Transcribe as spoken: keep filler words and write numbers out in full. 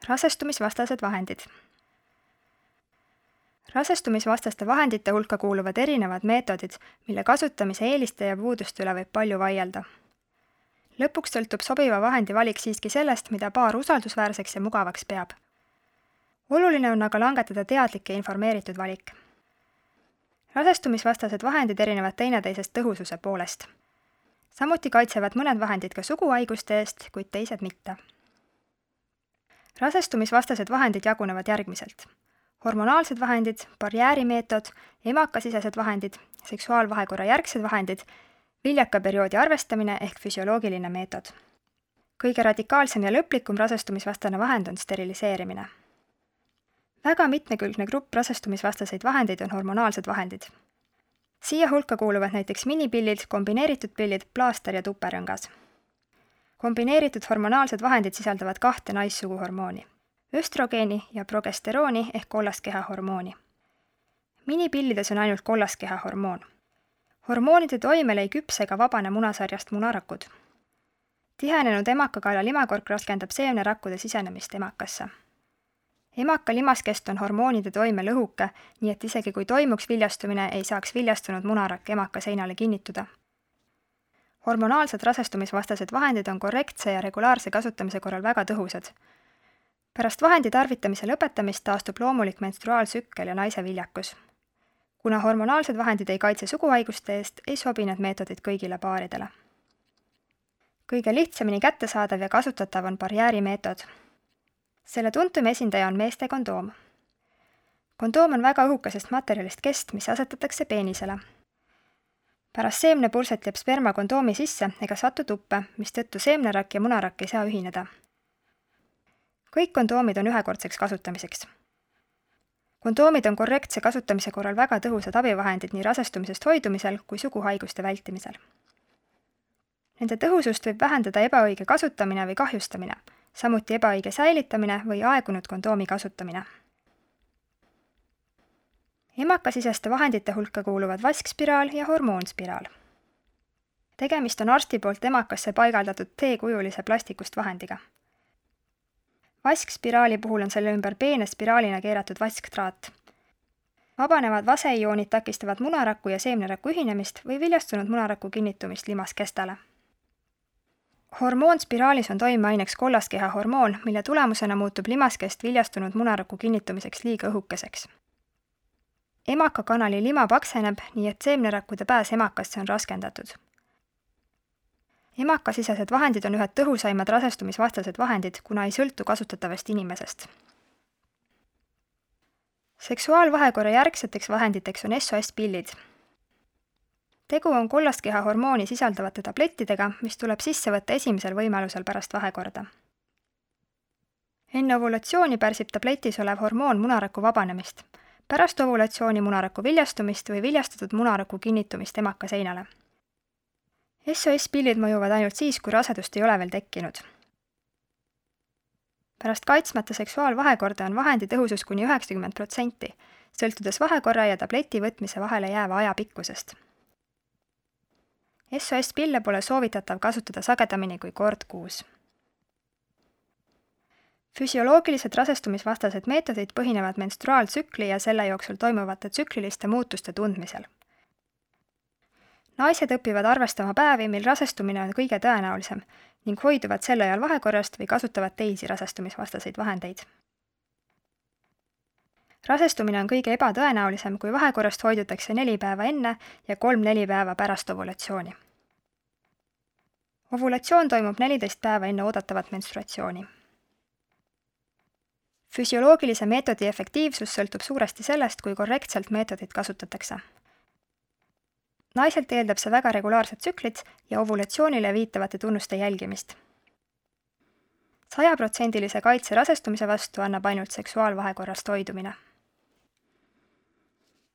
rasestumisvastased vahendid. Rasestumisvastaste vahendite hulka kuuluvad erinevad meetodid, mille kasutamise eeliste ja puuduste üle võib palju vaielda. Lõpuks sõltub sobiva vahendi valik siiski sellest, mida paar usaldusväärseks ja mugavaks peab. Oluline on aga langetada teadlik ja informeeritud valik. Rasestumisvastased vahendid erinevad teineteisest tõhususe poolest. Samuti kaitsevad mõned vahendid ka suguhaiguste eest, kuid teised mitte. Rasestumisvastased vahendid jagunevad järgmiselt. Hormonaalsed vahendid, barjäärimeetod, emakasisesed vahendid, seksuaalvahekorra järgsed vahendid, viljakaperioodi arvestamine ehk füsioloogiline meetod. Kõige radikaalsem ja lõplikum rasestumisvastane vahend on steriliseerimine. Väga mitmekülgne grupp rasestumisvastaseid vahendeid on hormonaalsed vahendid. Siia hulka kuuluvad näiteks minipillid, kombineeritud pillid, plaaster ja tuperõngas. Kombineeritud hormonaalsed vahendid sisaldavad kahte naissuguhormooni, östrogeeni ja progesterooni ehk kollaskeha hormooni. Minipillides on ainult kollaskeha hormoon. Hormoonide toimel ei küpse ega vabane munasarjast munarakud. Tihenenud emakakaela limakork raskendab seemnerakkude sisenemist emakasse. Emaka limaskest on hormoonide toime lõhuke, nii et isegi kui toimuks viljastumine, ei saaks viljastunud munarakk emaka seinale kinnituda. Hormonaalsed rasestumisvastased vahendid on korrektse ja regulaarse kasutamise korral väga tõhusad. Pärast vahendi tarvitamise lõpetamist taastub loomulik menstruaalsükkel ja naise viljakus. Kuna hormonaalsed vahendid ei kaitse suguhaiguste eest, ei sobi need meetodid kõigile paaridele. Kõige lihtsamini kättesaadav ja kasutatav on barjäärimeetod. Selle tuntum esindaja on meeste kondoom. Kondoom on väga õhukesest materjalist kest, mis asetatakse peenisele. Pärast seemnepurset jääb sperma kondoomi sisse ega satu tuppe, mistõttu seemnerakk ja munarakk ei saa ühineda. Kõik kondoomid on ühekordseks kasutamiseks. Kondoomid on korrektse kasutamise korral väga tõhusad abivahendid nii rasestumisest hoidumisel kui suguhaiguste vältimisel. Nende tõhusust võib vähendada ebaõige kasutamine või kahjustamine, samuti ebaõige säilitamine või aegunud kondoomi kasutamine. Emakasiseste vahendite hulka kuuluvad vaskspiraal ja hormoonspiraal. Tegemist on arsti poolt emakasse paigaldatud T-kujulise plastikust vahendiga. Vaskspiraali puhul on selle ümber peene spiraalina keeratud vasktraat. Vabanevad vaseioonid takistavad munaraku ja seemneraku ühinemist või viljastunud munaraku kinnitumist limaskestale. Hormoonspiraalis on toimeaineks kollaskeha hormoon, mille tulemusena muutub limaskest viljastunud munaraku kinnitumiseks liiga õhukeseks. Emakakanali lima pakseneb, nii et seemnerakkude pääs emakasse on raskendatud. Emakasisesed vahendid on ühed tõhusaimad rasestumisvastased vahendid, kuna ei sõltu kasutatavast inimesest. Seksuaalvahekorra järgseteks vahenditeks on S O S-pillid. Tegu on kollaskeha hormooni sisaldavate tablettidega, mis tuleb sisse võtta esimesel võimalusel pärast vahekorda. Enne ovulatsiooni pärsib tabletis olev hormoon munaraku vabanemist, pärast ovulatsiooni munaraku viljastumist või viljastatud munaraku kinnitumist emaka seinale. S O S-pillid mõjuvad ainult siis, kui rasedust ei ole veel tekkinud. Pärast kaitsmata seksuaalvahekorda on vahendi tõhusus kuni üheksakümmend protsenti, sõltudes vahekorra ja tableti võtmise vahele jääva aja pikkusest. S O S-pille pole soovitatav kasutada sagedamini kui kord kuus. Füsioloogilised rasestumisvastased meetodid põhinevad menstruaaltsükli ja selle jooksul toimuvate tsükliliste muutuste tundmisel. Naised õpivad arvestama päevi, mil rasestumine on kõige tõenäolisem ning hoiduvad sel ajal vahekorrast või kasutavad teisi rasestumisvastaseid vahendeid. Rasestumine on kõige ebatõenäolisem, kui vahekorrast hoidutakse neli päeva enne ja kolm-neli päeva pärast ovulatsiooni. Ovulatsioon toimub neliteist päeva enne oodatavat menstruatsiooni. Füsioloogilise meetodi efektiivsus sõltub suuresti sellest, kui korrektselt meetodit kasutatakse. Naiselt eeldab see väga regulaarset tsüklit ja ovulatsioonile viitavate tunnuste jälgimist. sajaprotsendilise kaitse rasestumise vastu annab ainult seksuaalvahekorrast hoidumine.